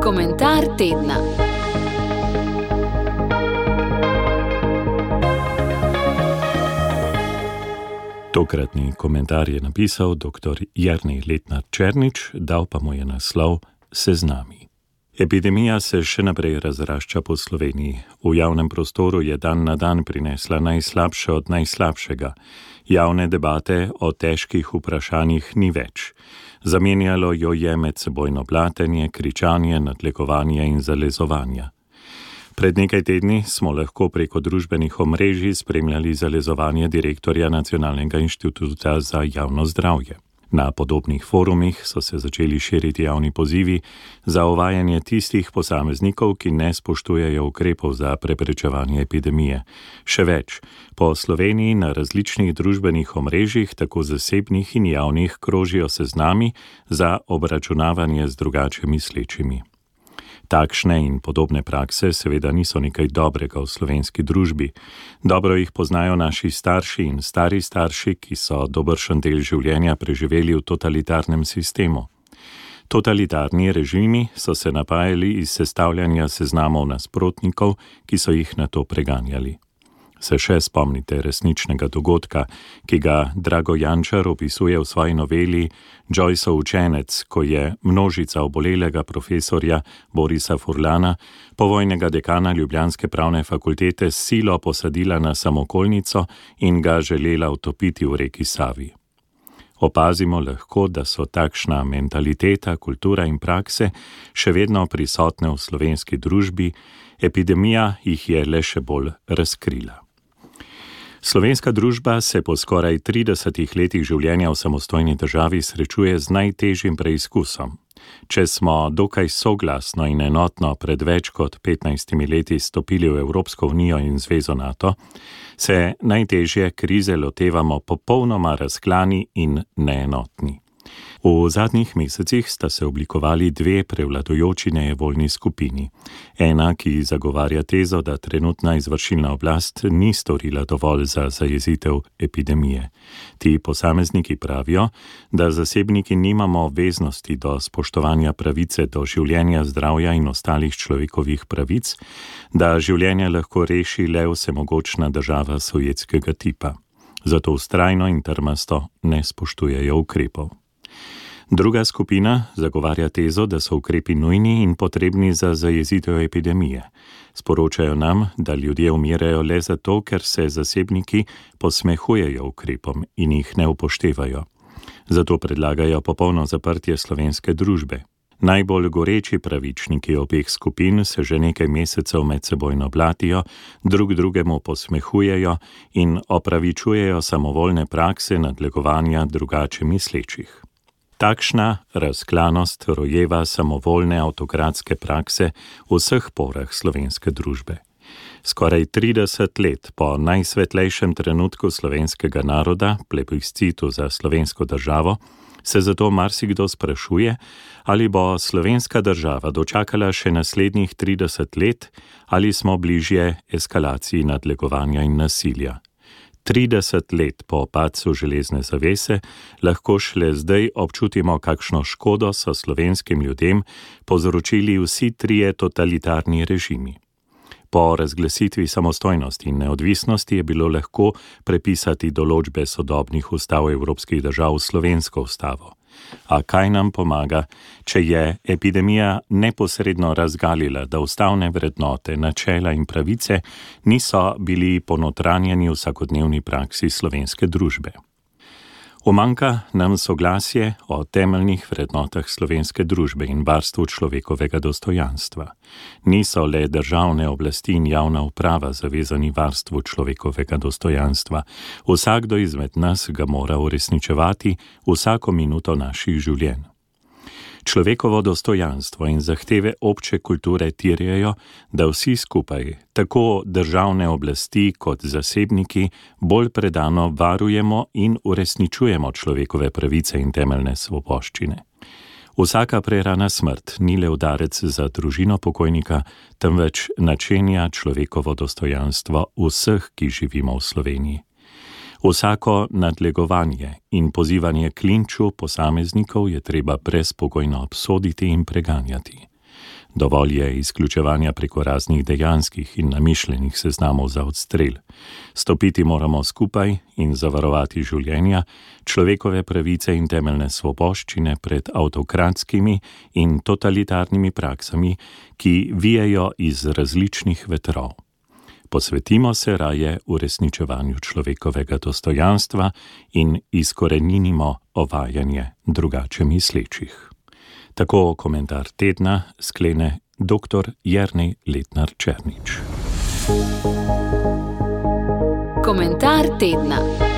Komentar tedna. Tokratni komentar je napisal dr. Jernej Letnar Černič, dal pa mu je naslov Seznami. Epidemija se še naprej razrašča po Sloveniji. V javnem prostoru je dan na dan prinesla najslabše od najslabšega. Javne debate o težkih vprašanjih ni več. Zamenjalo jo je medsebojno blatenje, kričanje, nadlegovanje in zalezovanje. Pred nekaj tedni smo lahko preko družbenih omrežij spremljali zalezovanje direktorja Nacionalnega inštituta za javno zdravje. Na podobnih forumih so se začeli širiti javni pozivi za uvajanje tistih posameznikov, ki ne spoštujejo ukrepov za preprečevanje epidemije. Še več, po Sloveniji na različnih družbenih omrežjih, tako zasebnih in javnih, krožijo seznami za obračunavanje z drugače mislečimi. Takšne in podobne prakse seveda niso nekaj dobrega v slovenski družbi. Dobro jih poznajo naši starši in stari starši, ki so dobršen del življenja preživeli v totalitarnem sistemu. Totalitarni režimi so se napajali iz sestavljanja seznamov nasprotnikov, ki so jih nato preganjali. Se še spomnite resničnega dogodka, ki ga Drago Jančar opisuje v svoji noveli Joyceov učenec, ko je množica obolelega profesorja Borisa Furlana, povojnega dekana ljubljanske pravne fakultete, s silo posadila na samokolnico in ga želela utopiti v reki Savi. Opazimo lahko, da so takšna mentaliteta, kultura in prakse še vedno prisotne v slovenski družbi, epidemija jih je le še bolj razkrila. Slovenska družba se po skoraj 30 letih življenja v samostojni državi srečuje z najtežjim preizkusom. Če smo dokaj soglasno in enotno pred več kot 15 leti stopili v Evropsko unijo in Zvezo NATO, se najtežje krize lotevamo popolnoma razklani in neenotni. V zadnjih mesecih sta se oblikovali dve prevladujoči nejevoljni skupini. Ena, ki zagovarja tezo, da trenutna izvršilna oblast ni storila dovolj za zajezitev epidemije. Ti posamezniki pravijo, da zasebniki nimamo obveznosti do spoštovanja pravice do življenja, zdravja in ostalih človekovih pravic, da življenje lahko reši le vsemogočna država sovjetskega tipa. Zato vztrajno in trmasto ne spoštujejo ukrepov. Druga skupina zagovarja tezo, da so ukrepi nujni in potrebni za zajezitev epidemije. Sporočajo nam, da ljudje umirajo le zato, ker se zasebniki posmehujejo ukrepom in jih ne upoštevajo. Zato predlagajo popolno zaprtje slovenske družbe. Najbolj goreči pravičniki obeh skupin se že nekaj mesecev medsebojno blatijo, drug drugemu posmehujejo in opravičujejo samovoljne prakse nadlegovanja drugače mislečih. Takšna razklanost rojeva samovoljne avtokratske prakse v vseh porah slovenske družbe. Skoraj 30 let po najsvetlejšem trenutku slovenskega naroda, plebiscitu za slovensko državo, se zato marsikdo sprašuje, ali bo slovenska država dočakala še naslednjih 30 let, ali smo bližje eskalaciji nadlegovanja in nasilja. 30 let po padcu železne zavese lahko šele zdaj občutimo, kakšno škodo so slovenskim ljudem povzročili vsi trije totalitarni režimi. Po razglasitvi samostojnosti in neodvisnosti je bilo lahko prepisati določbe sodobnih ustav evropskih držav v slovensko ustavo. A kaj nam pomaga, če je epidemija neposredno razgalila, da ustavne vrednote, načela in pravice niso bili ponotranjeni v vsakodnevni praksi slovenske družbe? Umanjka nam soglasje o temeljnih vrednotah slovenske družbe in varstvu človekovega dostojanstva. Niso le državne oblasti in javna uprava zavezani varstvu človekovega dostojanstva. Vsakdo izmed nas ga mora uresničevati vsako minuto naših življenj. Človekovo dostojanstvo in zahteve obče kulture terjajo, da vsi skupaj, tako državne oblasti kot zasebniki, bolj predano varujemo in uresničujemo človekove pravice in temeljne svoboščine. Vsaka prerana smrt ni le udarec za družino pokojnika, temveč načenja človekovo dostojanstvo vseh, ki živimo v Sloveniji. Vsako nadlegovanje in pozivanje k linču posameznikov je treba brezpogojno obsoditi in preganjati. Dovolj je izključevanja preko raznih dejanskih in namišljenih seznamov za odstrel. Stopiti moramo skupaj in zavarovati življenja, človekove pravice in temeljne svoboščine pred avtokratskimi in totalitarnimi praksami, ki vijejo iz različnih vetrov. Posvetimo se raje uresničevanju človekovega dostojanstva in izkoreninimo ovajanje drugače mislečih. Tako komentar tedna sklene dr. Jernej Letnar Černič. Komentar tedna.